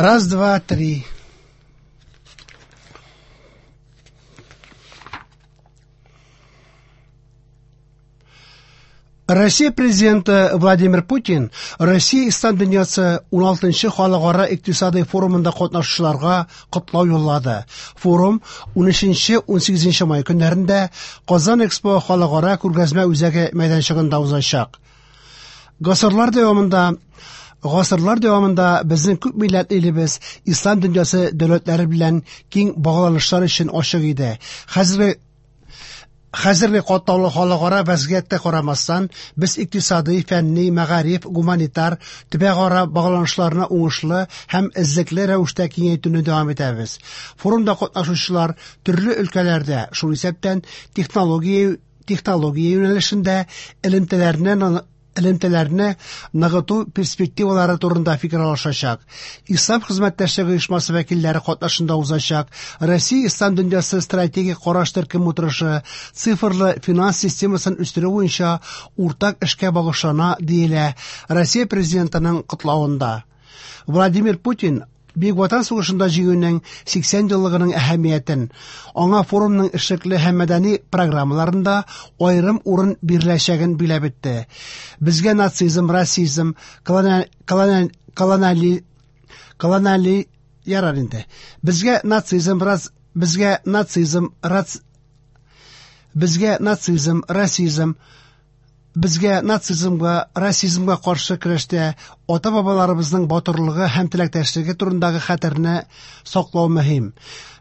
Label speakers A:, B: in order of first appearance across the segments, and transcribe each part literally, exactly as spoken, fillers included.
A: Раз, два, три. Россия президенты Владимир Путин Россия Ислам дөньясы уналтынчы халыкара икътисадый форумында катнашучыларга котлау юллады. Форум унөченче-унсигезенче май көннәрендә Казан Экспо халыкара күргәзмә үзәге мәйданчыгында узачак. Гасырлар дәвамында Гасырлар дәвамында безнең күп милләтле илебез ислам дөньясы дәүләтләре белән киң багланышлар өчен ачык иде. Хәзерге Хәзерге катлаулы халыкара вәзгыятькә карамастан, без икътисадый, фәнни, мәгариф, гуманитар, төбәкара багланышларны уңышлы һәм эзлекле рәвештә киңәйтүне дәвам итәбез. Форумда катнашучылар төрле өлкәләрдә, шул исәптән технология технология юнәлешендә элемтәләрне элемтәләрне ныгыту перспективалары турында фикер алышачак. Ислам хезмәттәшлеге оешмасы вәкилләре катнашында узачак Россия Ислам дөньясы стратегик караш төркем утырышы цифрлы финанс системасын үстерү буенча уртак эшкә багышлана, диелә Россия президентының котлавында. Владимир Путин Бөек Ватан сугышында җиңүнең сиксән еллыгының әһәмиятен, аңа форумның эшлекле һәм мәдәни программаларында аерым урын биреләчәген биләп үтте. Безгә нацизм, расизм, колониаль, колониаль, колониаль ярар инде. Безгә нацизм, рас, безгә нацизм, рац, безгә нацизм, расизм, Безгә нацизмга, расизмга каршы көрәштә ата-бабаларыбызның батырлыгы һәм теләктәшлеге турындагы хәтерне саклау мөһим.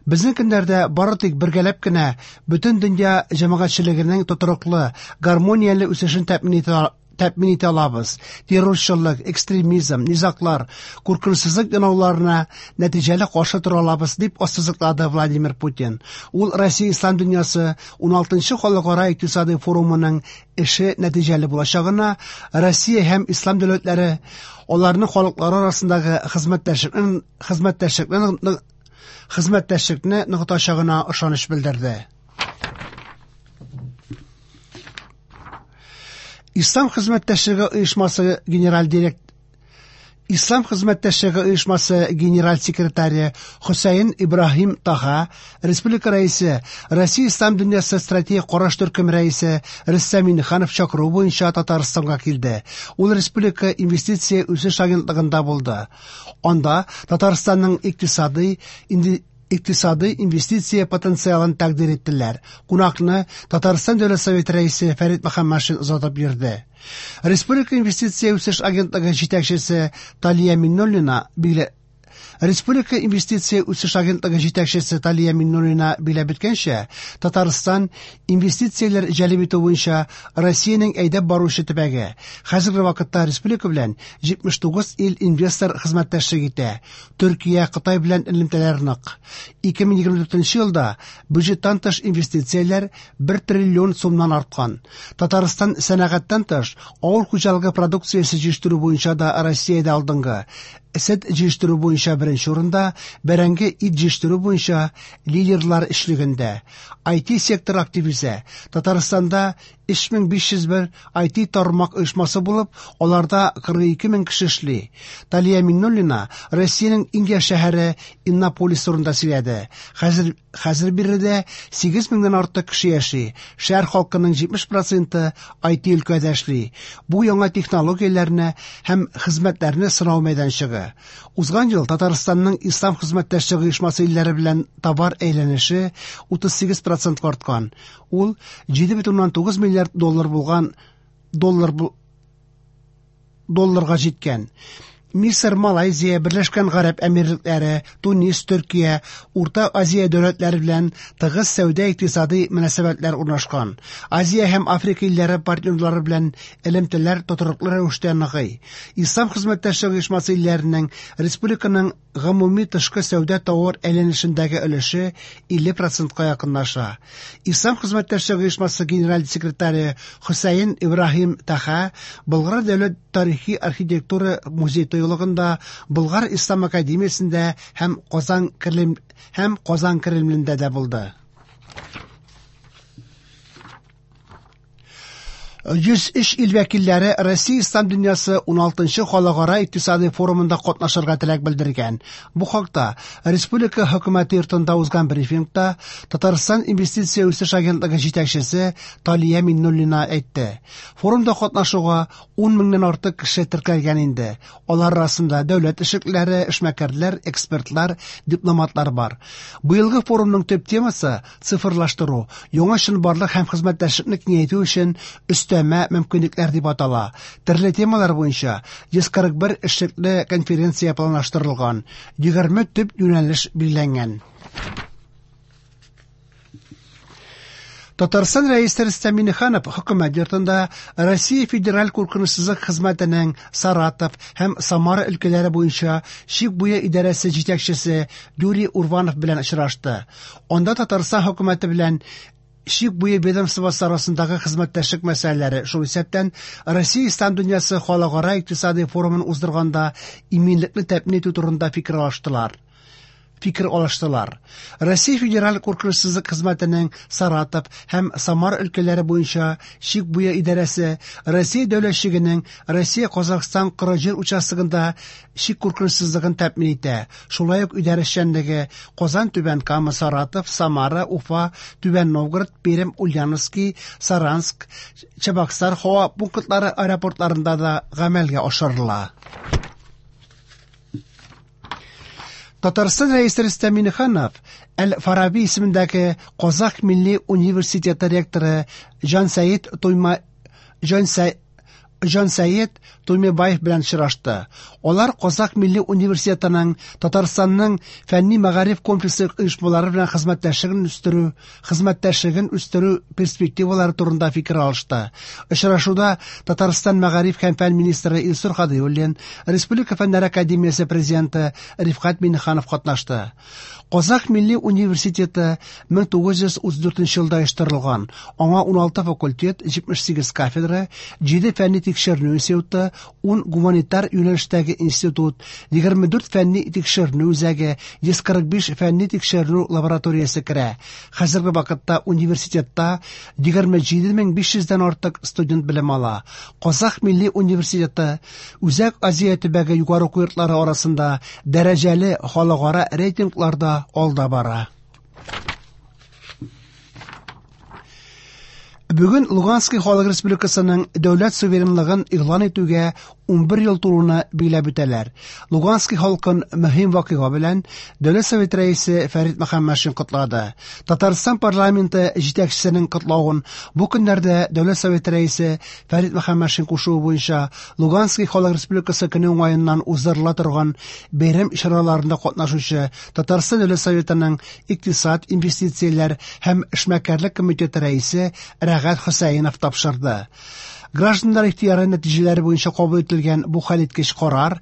A: Безнең көннәрдә бары тик бергәләп кенә бөтен дөнья җәмәгатьчелегенең тотрыклы, гармонияле үсешен тәэмин итә тәэмин итә алабыз. Террорчылык, экстремизм, низаглар, куркынычсызлык янауларына нәтиҗәле каршы тора алабыз, дип ассызыклады Владимир Путин. Ул Россия Ислам дөньясы уналтынчы халыкара икътисадый форумының эше нәтиҗәле булачагына, Россия һәм ислам дәүләтләре аларның халыклары арасындагы хезмәттәшлекне, хезмәттәшлекне, хезмәттәшлекне ныгытачагына ышаныч белдерде. Ислам хезмәттәшлеге оешмасы генераль директ Ислам хезмәттәшлеге оешмасы генераль секретаре Хөсәен Ибраһим Таха, Республика рәисе, Россия Ислам дөньясы стратегик караш төркем рәисе Рөстәм Миңнеханов чакыруы буенча Татарстанга килде. Ул Республика инвестиция үсеш агентлыгында булды. Анда Татарстанның икътисадый икътисадый инвестиция потенциалын тәкъдир иттеләр. Кунакны Татарстан Дәүләт Советы рәисе Фәрит Мөхәммәтшин озатып йөрде. Республика инвестиция үсеш агентлыгы җитәкчесе Талия Миннуллина биле Республика инвестиция үсеш агентлыгы җитәкчесе Талия Миннуллина биләп үткәнчә, Татарстан инвестицияләр җәлеп итү буенча Россиянең әйдәп баручы төбәге. Хәзерге вакытта республика белән җитмеш тугыз ил инвестор хезмәттәшлек итә. Төркия, Кытай белән элемтәләр нык. ике мең егерме дүртенче елда бюджеттан тыш инвестицияләр бер триллион сумнан арткан. Татарстан сәнәгатьтән тыш авыл хуҗалыгы продукциясе җитештерү буенча да Россиядә алдынгы. Сөт җитештерү буенча беренче урында, бәрәңге ит җитештерү буенча лидерлар өчлегендә. ай ти сектор актив үсә. Татарстанда өч мең биш йөз бер ай ти тармак оешмасы булып, аларда кырык ике мең кеше эшли. Талия Миннуллина Россиянең иң яшь шәһәре Иннополис турында сөйләде. Хәзер, хәзер биредә сигез меңнән артык кеше яши. Шәһәр халкының җитмеш проценты ай ти өлкәдә эшли. Бу яңа технологияләрне һәм хезмәтләрне сынау мәйданчыгы. Узган ел Татарстанның Ислам хезмәттәшлеге оешмасы илләре белән товар әйләнеше утыз сигез процентка арткан. Ул җиде бөтен уннан тугыз миллиард доллар булган доллар бу, долларга җиткән. Мисыр, Малайзия, Берләшкән Гарәп Әмирлекләре, Тунис, Төркия, Урта Азия дәүләтләре белән тыгыз сәүдә икътисади мөнәсәбәтләр урнашкан. Азия һәм Африка илләре партнерлары белән элемтәләр тотрыклы рәвештә ныгый. Ислам хезмәттәшлеге оешмасы илләренең республиканың гомуми тышкы сәүдә товар әйләнешендәге өлеше илле процентка якынлаша. Ислам хезмәттәшлеге оешмасы генераль секретаре Хөсәен Ибраһим Таха Болгар дәүләт тарихи архитектура музей тыюлыгында, Болгар Ислам академиясендә һәм Казан Кремль, һәм Казан Кремлендә дә булды. йөз өч ил вәкилләре Россия Ислам дөньясы уналтынчы халыкара икътисади форумында катнашырга теләк белдергән. Бу хакта Республика хөкүмәте йортында узган брифингта Татарстан инвестиция үсеш агентлыгы җитәкчесе Талия Миннуллина әйтте. Форумда катнашуга ун меңнән артык кеше теркәлгән инде. Алар арасында дәүләт эшлеклеләре, эшмәкәрләр, экспертлар, дипломатлар бар. Быелгы форумның төп темасы цифрлаштыру, яңа чынбарлык һәм хезмәттәшлекне киңәйтү өчен өстәмә мөмкинлекләр дип атала. Төрле темалар буенча йөз кырык бер эшлекле конференция планлаштырылган, егерме төп юнәлеш билгеләнгән. Татарстан Рәисе Рөстәм Миңнеханов хөкүмәт йортында Россия Федераль куркынычсызлык хезмәтенең Саратов һәм Самара өлкәләре буенча чик буе идарәсе җитәкчесе Юрий Урванов белән очрашты. Анда Татарстан хөкүмәте белән чик буе ведомствосы арасындагы хезмәттәшлек мәсьәләләре, шул исәптән Россия Ислам дөньясы халыкара икътисади форумын уздырганда иминлекне тәэмин итү турында фикер алыштылар. Фикер алыштылар. Россия Федераль куркынычсызлык хезмәтенең Саратов һәм Самара өлкәләре буенча чик буе идарәсе Россия дәүләт чигенең Россия-Казахстан коры җир участогында чик куркынычсызлыгын тәэмин итә. Шулай ук идарә эшчәнлеге Казан, Түбән Кама, Саратов, Самара, Уфа, Түбән Новгород, Пермь, Ульяновский, Саранск, Чабаксар һава пунктлары аэропортларында да гамәлгә ашырыла. Татарстан Рәисе Рөстәм Миңнеханов Әл-Фараби исемендәге Казах милли университеты ректоры Җансәет Туйма Җансә Җансәет Туймебаев белән очрашты. Алар Казах милли университетының Татарстанның фәнни мәгариф комплексы оешмалары белән хезмәттәшлеген үстерү, хезмәттәшлеген үстерү перспективалары турында фикер алышты. Очрашуда Татарстан мәгариф һәм фән министры Илсур Һадиуллин, Республика фәннәр академиясе президенты Рифкать Миңнеханов катнашты. Казах милли университеты мең тугыз йөз утыз дүртенче елда оештырылган. Аңа уналты факультет, җитмеш сигез кафедра, җиде фәнни тикшеренү институты, ун гуманитар юнәлештәге институт, егерме дүрт фәнни тикшеренү үзәге, йөз кырык биш фәнни тикшеренү лабораториясе керә. Хәзерге вакытта университетта егерме җиде мең биш йөздән артык студент белем ала. Казах милли университеты Үзәк Азия төбәге югары уку йортлары арасында дәрәҗәле халыкара рейтингларда алда бара. Бүген Луганский Халык Республикасының дәүләт суверенлыгын игълан итүгә унбер ел тулуны билгеләп үтәләр. Луганский халкын мөһим вакыйга белән Дәүләт Советы рәисе Фәрит Мөхәммәтшин котлады. Татарстан парламенты җитәкчесенең котлавын бу көннәрдә Дәүләт Советы рәисе Фәрит Мөхәммәтшин кушуы буенча Луганский Халык Республикасы көне уңаеннан уздырыла торган бәйрәм чараларында катнашучы Татарстан Дәүләт Советының икътисад, инвестицияләр һәм эшмәкәрлек комитеты рәисе Рәгать Хөсәенов тапшырды. Гражданнар ихтыяры нәтиҗәләре буенча кабул ителгән бу хәлиткеч карар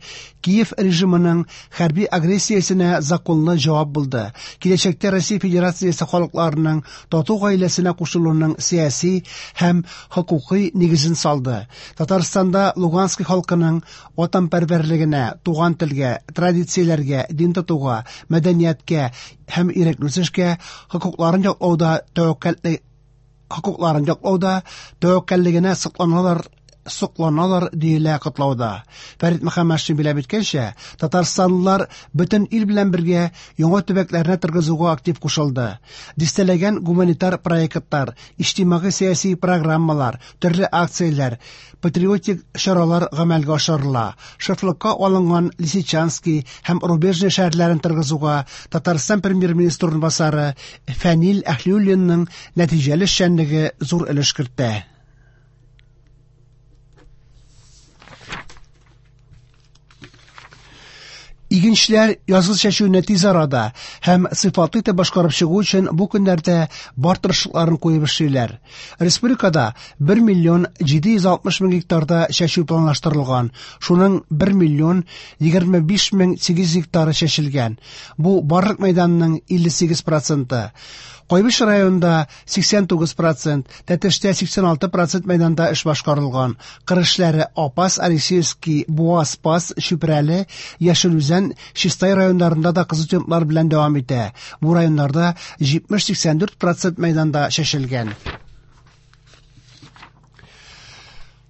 A: Киев режимының хәрби агрессиясенә законлы җавап булды. Киләчәктә Россия Федерациясе халыкларының тату гаиләсенә кушылуының сәяси һәм хокукый нигезен салды. Татарстанда Луганский халкының ватанпәрвәрлегенә, туган телгә, традицияләргә, дин тотуга, мәдәнияткә һәм ирекле үсешкә хокукларын яклауда тәвәккәллек хокукларын яклауда тәвәккәллегенә сокланалар, сокланалар диелә котлауда. Фәрит Мөхәммәтшин билгеләп үткәнчә, татарстанлылар бөтен ил белән бергә яңа төбәкләрне торгызуга актив кушылды. Дистәләгән гуманитар проектлар, иҗтимагый-сәяси программалар, төрле акцияләр, патриотик чаралар гамәлгә ашырыла. Шефлыкка алынган Лисичанский һәм Рубежный шәһәрләрен торгызуга Татарстан премьер-министры урынбасары Фәнил Әһлиуллинның нәтиҗәле эшчәнлеге зур өлеш кертә. Игенчеләр язгы чәчүне тиз арада һәм сыйфатлы итеп башкарып чыгу өчен бу көннәрдә бар тырышлыкларын куеп эшлиләр. Республикада бер миллион җиде йөз алтмыш мең гектарда чәчү планлаштырылган. Шуның бер миллион егерме биш мең сигез йөз гектары чәчелгән. Бу барлык мәйданның илле сигез проценты. Кайбыч районында сиксән тугыз процент, Тәтештә сиксән алты процент мәйданда эш башкарылган. Кыр эшләре Апас, Алексеевский, Буа, Спас, Чүпрәле, Яшел Үзән, Чистай районнарында да кызу темплар белән дәвам итә. Бу районнарда җитмеш сиксән дүрт процент мәйданда чәчелгән.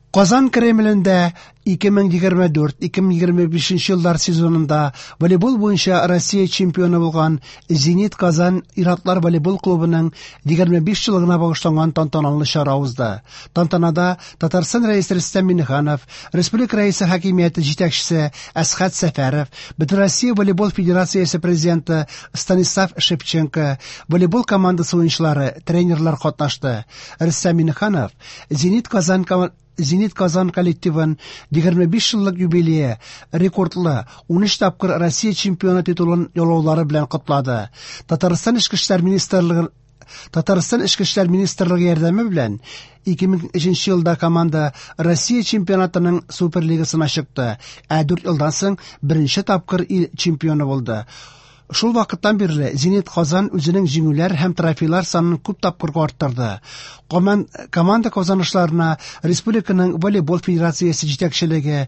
A: Казан Кремлендә ике мең егерме дүрт ике мең егерме бишенче еллар сезонында волейбол буенча Россия чемпионы булган Зенит Казан ир-атлар волейбол клубының егерме биш еллыгына багышланган тантаналы чара узды. Тантанада Татарстан Рәисе Рөстәм Миңнеханов, Республика Рәисе хакимияте җитәкчесе Әсхәт Сәфәров, Бөтенроссия волейбол федерациясе президенты Станислав Шевченко, волейбол командасы уенчылары, тренерлар катнашты. Рөстәм Миңнеханов Зенит Казан ком-, Зенит Казан коллективын егерме биш еллык юбилее рекордлы ун өч тапкыр Россия чемпионы титулын яулаулары белән котлады. Татарстан Эчке эшләр министрлыгы Татарстан Эчке эшләр министрлыгы ярдәме белән ике мең өченче елда команда Россия чемпионатының Суперлигасына чыкты, ә дүрт елдан соң беренче тапкыр ил чемпионы булды. Шул вакыттан бирле Зенит Казан үзенең җиңүләр һәм трофейлар санын күп тапкырга арттырды. Коман-, команда казанышларына республиканың волейбол федерациясе җитәкчелеге,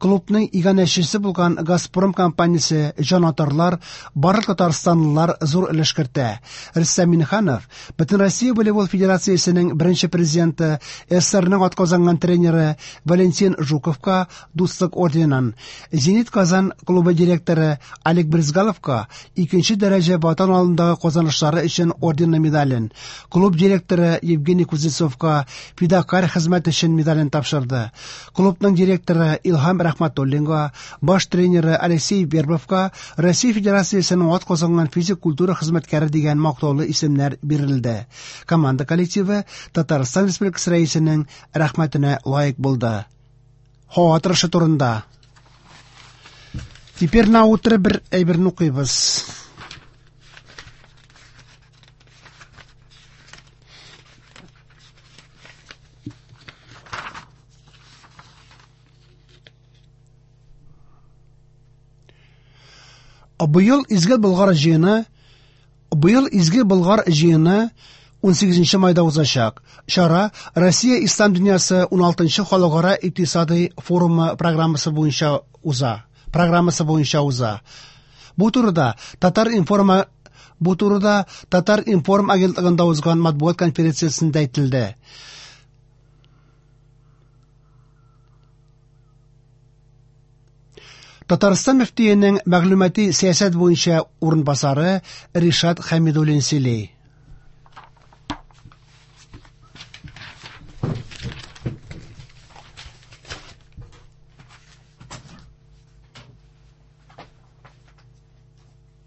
A: клубның иганәчесе булган Газпром компаниясе, җанатарлар, барлык татарстанлылар зур өлеш кертә. Рөстәм Миңнеханов Бөтенроссия волейбол федерациясенең беренче президенты, СССРның атказанган тренеры Валентин Жуковка Дуслык орденын, Зенит Казан клубы директоры Олег Брызгаловка икенче дәрәҗә Ватан алдындагы казанышлары өчен орденлы медален, клуб директоры Евгений Кузнецовка фидакарь хезмәт өчен медален тапшырды. Клубның директоры Илһам Рахматуллинга, баш тренеры Алексей Вербовка Россия Федерациясенең атказанган физик культура хезмәткәре дигән мактаулы исемнәр бирелде. Команда коллективы Татарстан Республикасы Рәисенең рәхмәтенә лаек булды. Һава торышы турында. Теперь на утро бер әйберне укыйбыз. Быел Изге Болгар җыены, быел Изге Болгар җыены унсигезенче майда узачак. Чара Россия Ислам дөньясы уналтынчы халыкара икътисади форумы программасы буенча уза. Программасы буенча уза. Бу турыда Татар-информ, бу турыда Татар-информ агентлыгында узган матбугат конференциясендә әйтелде. Татарстан мөфтиенең мәгълүмати сәясәт буенча урынбасары Ришат Хәмидуллин сөйли.